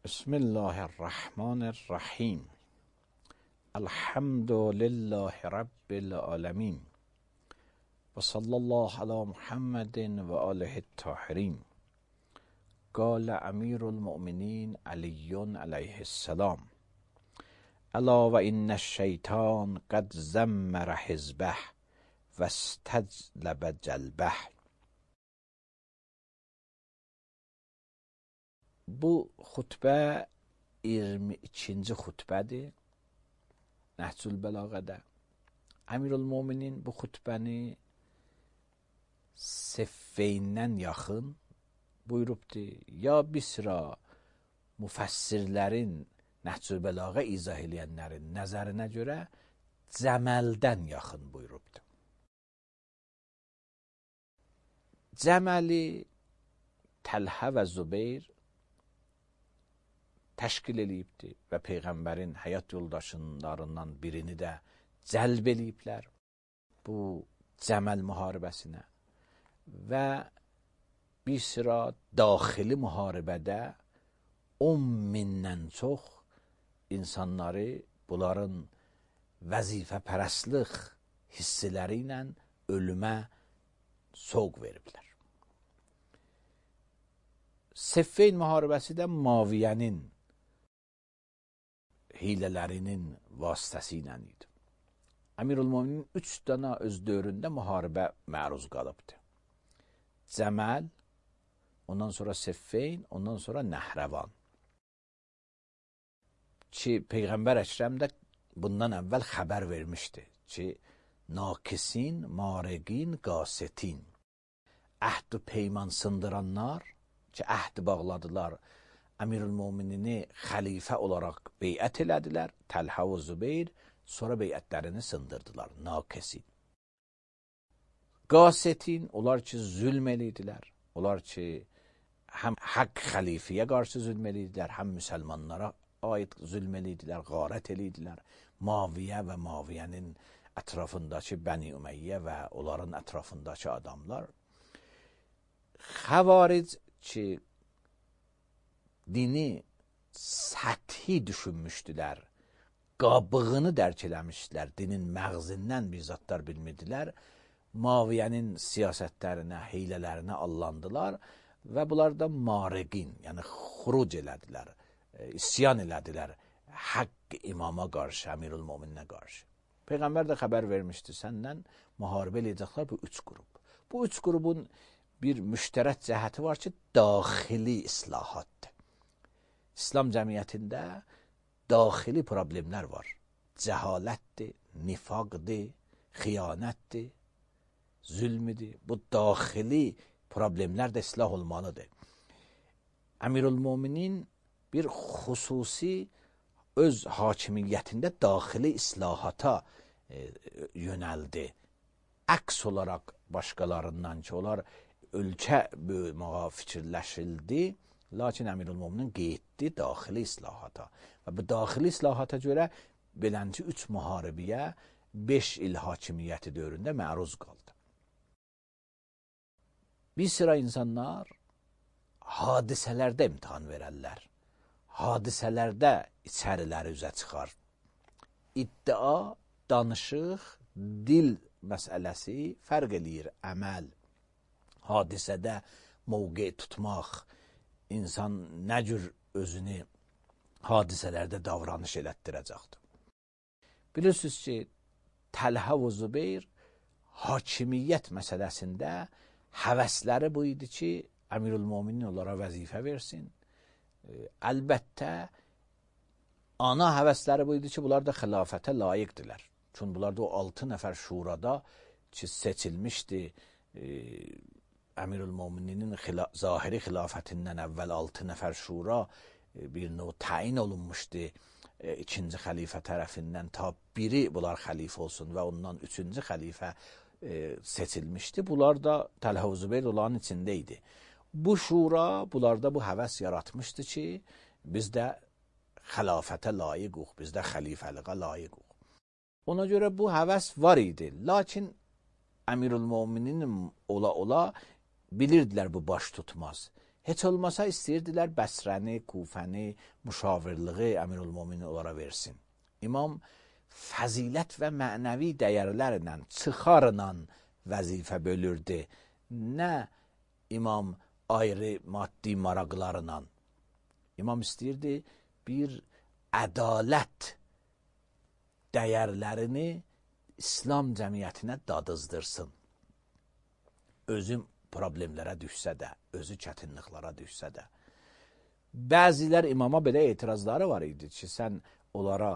بسم الله الرحمن الرحیم. الحمد لله رب العالمین و صلی الله علی محمد و آله الطاهرین. قال امیر المؤمنین علی علیه السلام: الا و ان الشیطان قد زمر حزبه و استجلب جلبه. Bu xutbə 22-ci xutbədir Nəhcül Bəlağədə. Əmirül-Möminin bu xutbəni Siffeyndən yaxın buyurubdur. Ya bir sıra müfəssirlərin, Nəhcül Bəlağə izah eləyənlərin nəzərinə görə Cəməldən yaxın buyurubdur. Cəməli Təlhə və Zübeyir təşkil eləyibdir və Peyğəmbərin həyat yoldaşlarından birini də cəlb eləyiblər bu Cəməl müharibəsinə və bir sıra daxili müharibədə 10.000-dən çox insanları bunların vəzifəpərəstlik hissləri ilə ölümə soğ veriblər. Siffeyn müharibəsi də Muaviyyənin hilələrinin vasitəsilə idi. Əmirül-Möminin 3 dənə öz dövründə müharibə məruz qalıbdır. Cəməl, ondan sonra Siffeyn, ondan sonra Nəhrəvan. Ki Peyğəmbər Əkrəm də bundan əvvəl xəbər vermişdi ki nakisin, mareqin, qasetin, əhd-ü peyman sındıranlar ki əhd bağladılar, Əmirül-Möminini xəlifə olaraq beyət elədilər, Təlhə və Zübeyir, sonra beyətlərini sındırdılar, nakesin. Qasetin, onlar ki zülm elədilər, onlar ki həm haqq xəlifəyə qarşı zülm elədilər, həm müsəlmanlara aid zülm elədilər, qarət elədilər. Muaviyyə və Muaviyyənin ətrafındakı Bəni Ümeyyə və onların ətrafındakı adamlar. Xəvaric ki dini səthi düşünmüşdülər, qabığını dərk eləmişdilər, dinin məğzindən bir zatlar bilmirdilər, Muaviyyənin siyasətlərinə, heylələrinə allandılar və bunlar da mareqin, yəni xuruc elədilər, isyan elədilər haqq imama qarşı, Əmirül-Mömininə qarşı. Peyğəmbər də xəbər vermişdi, səndən müharibə eləyəcəklər bu 3 qrup. Bu 3 qrupun bir müştərək cəhəti var ki, daxili islahatdır. İslam cəmiyyətində daxili problemlər var. Cəhalətdir, nifaqdır, xiyanətdir, zülmüdür. Bu daxili problemlər də islah olmalıdır. Əmirül-Möminin bir xüsusi öz hakimiyyətində daxili islahata yönəldi. Əks olaraq başqalarından ki, onlar ölkə böyüməyə fikirləşildi, lakin Əmirül-Möminin qeyddi daxili islahata. Və bu daxili islahata görə belənci 3 müharibəyə 5 il hakimiyyəti dövründə məruz qaldı. Bir sıra insanlar hadisələrdə imtihan verərlər. Hadisələrdə içəriləri üzə çıxar. İddia, danışıq, dil məsələsi fərq eləyir. Əməl, hadisədə mövqe tutmaq, insan nə cür özünü hadisələrdə davranış elətdirəcəkdir. Bilirsiniz ki, Təlhə və Zübeyir hakimiyyət məsələsində həvəsləri bu idi ki, Əmirül-Möminin onlara vəzifə versin. Əlbəttə, ana həvəsləri bu idi ki, bunlar da xilafətə layiqdirlər. Çünki bunlar da o 6 nəfər şurada ki, seçilmişdi, Əmirül-Möminin zahiri xilafətindən əvvəl 6 nəfər şura bir növ təyin olunmuşdu 2-ci xəlifə tərəfindən, ta biri bunlar xəlifə olsun və ondan 3-cü xəlifə seçilmişdi. Bunlar da Təlhə və Zübeyir onların içində idi. Bu şura bunlarda bu həvəs yaratmışdı ki, biz də xilafətə layiqıq, biz də xəlifəliğə layiqıq. Ona görə bu həvəs var idi. Lakin Əmirül-Möminin ola bilirdilər bu baş tutmaz. Heç olmasa istəyirdilər Bəsrəni, Kufəni, müşavirliği Əmirülmöminin onlara versin. İmam fəzilət və mənəvi dəyərlərlə, çıxarla vəzifə bölürdü. Nə imam ayrı maddi maraqlarla. İmam istəyirdi bir ədalət dəyərlərini İslam cəmiyyətinə dadızdırsın. Özü problemlərə düşsə də, özü çətinliklərə düşsə də. Bəzilər imama belə etirazları var idi ki, sən onlara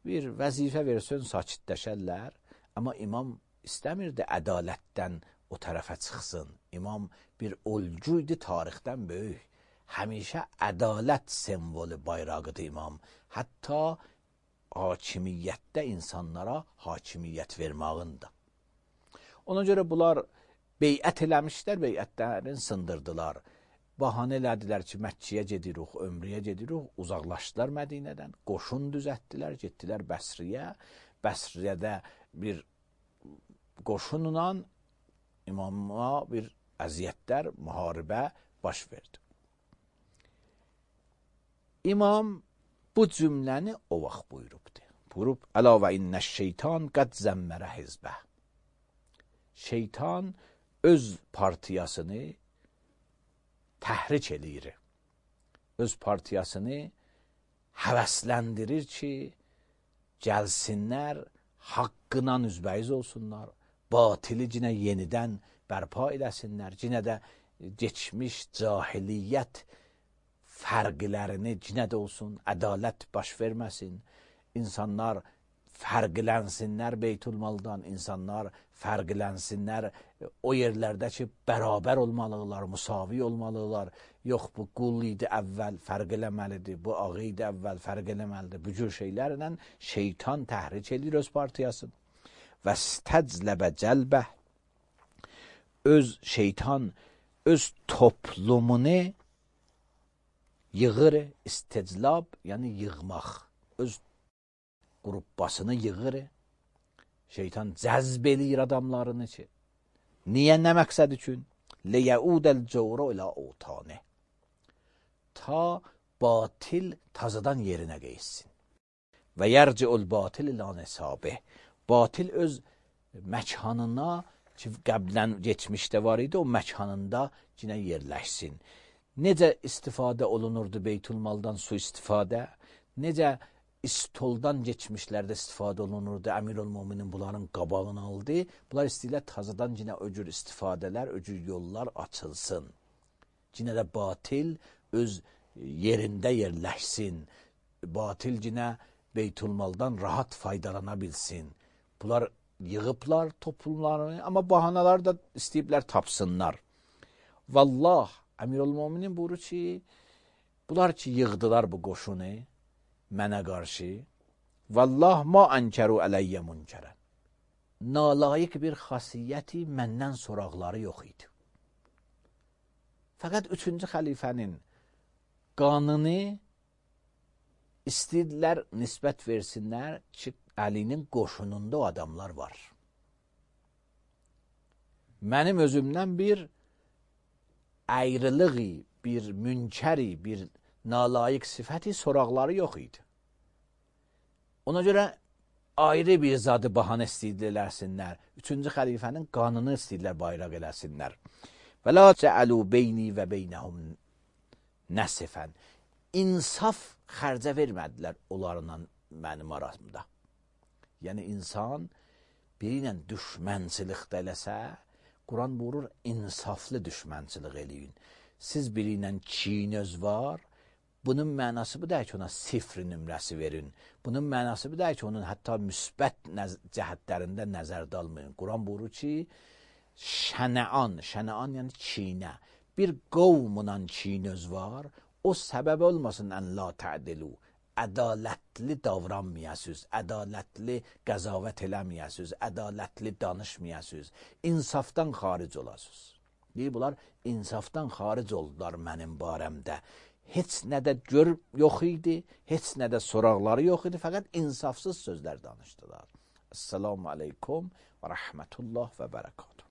bir vəzifə versən, sakitləşərlər. Amma imam istəmirdi ədalətdən o tərəfə çıxsın. İmam bir olcu idi, tarixdən böyük. Həmişə ədalət simvolu bayrağıdır imam. Hətta hakimiyyətdə insanlara hakimiyyət vermağında. Ona görə bunlar beyət eləmişlər, beyətlərini sındırdılar. Bahanə elədilər ki, Məkkəyə gedirik, ömrəyə gedirik, uzaqlaşdılar Mədinədən, qoşun düzəltdilər, getdilər Bəsriyə. Bəsriyyədə bir qoşunla imama bir əziyyətlər, müharibə baş verdi. İmam bu cümləni o vaxt buyurubdur. Buyurub, əla və innəş şeytan qəd zəmmərə hizbə. Şeytan öz partiyasını təhrik eləyir. Öz partiyasını həvəsləndirir ki, gəlsinlər, haqqına üzbəyiz olsunlar, batili cinə yenidən bərpa edəsinlər, cinə də geçmiş cahiliyyət fərqlərini cinə də olsun, ədalət baş verməsin, insanlar fərqlənsinlər Beytülmaldan, insanlar fərqlənsinlər o yerlərdə ki, bərabər olmalıdırlar, müsavi olmalıdırlar. Yox, bu qul idi əvvəl, fərq eləməlidir, bu ağı idi əvvəl, fərq eləməlidir. Bu cür şeylərlə şeytan təhrik edir öz partiyasını. Və stəcləbə cəlbə, öz şeytan, öz toplumunu yığır, isteclab, yəni yığmaq, öz qruppasını yığır, şeytan cəzb eləyir adamlarını ki, niyə, nə məqsəd üçün? Liyəudəl cəvru ilə otane, ta batil tazadan yerinə qeyssin. Və yərci'ul batil ilə nesabih, batil öz məkanına ki, qəblən geçmişdə var idi, o məkanında cinə yerləşsin. Necə istifadə olunurdu Beytülmaldan su istifadə? Necə istoldan geçmişlərdə istifadə olunurdu? Əmirülmöminin bunların qabağını aldı. Bunlar istəyirlər tazadan cinə o cür istifadələr, o cür yollar açılsın. Cinə də batil öz yerində yerləşsin. Batil cinə Beytülmaldan rahat faydalana bilsin. Bunlar yığıblar toplumlarını, amma bahanalar da istəyiblər tapsınlar. Vallah, Əmirülmöminin buyurur ki, bunlar ki, yığdılar bu qoşunu mənə qarşı. Vallah, ma ənkəru ələyyə münkərən. Nalayiq bir xasiyyəti məndən soraqları yox idi. Fəqət 3-cü xəlifənin qanını istədilər nisbət versinlər ki, Əlinin qoşununda o adamlar var. Mənim özümdən bir ayrılığı, bir münkəri, bir nalayiq sifəti soraqları yox idi. Ona görə ayrı bir zadı bahanə istəyirlərsinlər. 3-cü xəlifənin qanını istəyirlər bayraq eləsinlər. Və la cəəlu beyni və beynəhum nəsifən. İnsaf xərcə vermədilər onlarla mənim aramda. Yəni insan biri ilə düşmənçilikdə eləsə, Quran buyurur, insaflı düşmənçilik eləyin. Siz biri ilə kinöz var, bunun mənası bu da ki, ona 0 nömrəsi verin. Bunun mənası bu da ki, onun hətta müsbət cəhətlərində nəzərdə almayın. Quran buyurur ki, şənəan yəni kinə, bir qovmla kinöz var, o səbəb olmasın ən la tədilu, ədalətli davranmayasınız, ədalətli qəzavət eləməyəsiniz, ədalətli danışmayasınız, insafdan xaric olasınız. Deyir, bunlar insafdan xaric oldular mənim barəmdə. Heç nədə gör yox idi, heç nədə soraqları yox idi, fəqət insafsız sözlər danışdılar. Esselamu aleykum və rəhmətullah və bərəkət.